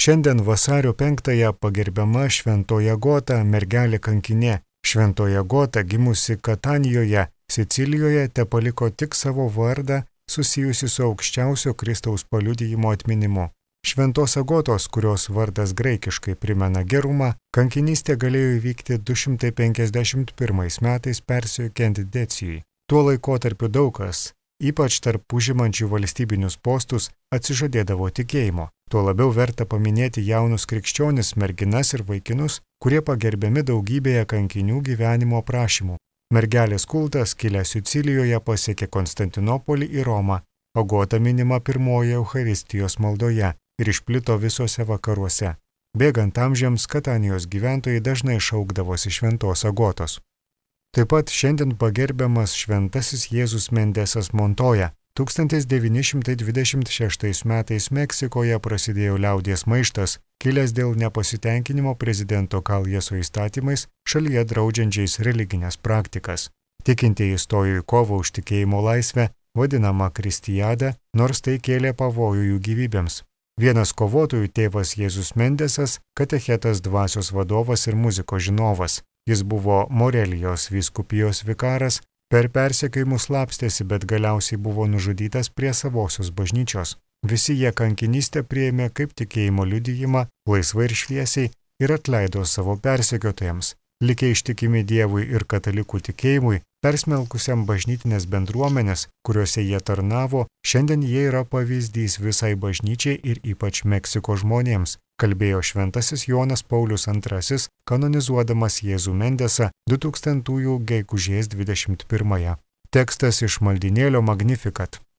Šiandien vasario 5-ąją pagerbiama Šventoji Agota, mergelė kankinė. Šventoji Agota, gimusi Katanijoje, Sicilijoje, tepaliko tik savo vardą susijusi su aukščiausio Kristaus paliudijimo atminimu. Šventos Agotos, kurios vardas graikiškai primena gerumą, kankinystė galėjo įvykti 251 metais persiekiant Decijui. Tuo laikotarpiu daug kas, ypač tarp užimančių valstybinius postus, atsižadėdavo tikėjimo. Tuo labiau verta paminėti jaunus krikščionis, merginas ir vaikinus, kurie pagerbiami daugybėje kankinių gyvenimo aprašymų. Mergelės kultas, kilęs Sicilijoje, pasiekė Konstantinopolį ir Romą. Agota minima pirmoje Eucharistijos maldoje ir išplito visose vakaruose. Bėgant amžiams, Katanijos gyventojai dažnai šaukdavosi Šventos Agotos. Taip pat šiandien pagerbiamas Šventasis Jėzus Mendesas Montoja. 1926 metais Meksikoje prasidėjo liaudies maištas, kilęs dėl nepasitenkinimo prezidento Kaljeso įstatymais, šalyje draudžiančiais religinės praktikas. Tikintieji stojo į kovą už tikėjimo laisvę, vadinama Kristijada, nors tai kėlė pavojų jų gyvybėms. Vienas kovotojų, tėvas Jėzus Mendesas, katechetas, dvasios vadovas ir muzikos žinovas. Jis buvo Morelijos vyskupijos vikaras, per persekiojimus slapstėsi, bet galiausiai buvo nužudytas prie savosios bažnyčios. Visi jie kankinystę priėmė kaip tikėjimo liudijimą, laisvai ir šviesiai, ir atleido savo persekiotojams. Likę ištikimi Dievui ir katalikų tikėjimui, persmelkusiam bažnytinės bendruomenės, kuriuose jie tarnavo, šiandien jie yra pavyzdys visai bažnyčiai ir ypač Meksikos žmonėms, kalbėjo Šventasis Jonas Paulius II, kanonizuodamas Jėzų Mendesą 2000 gegužės 21. Tekstas iš maldynėlio Magnificat.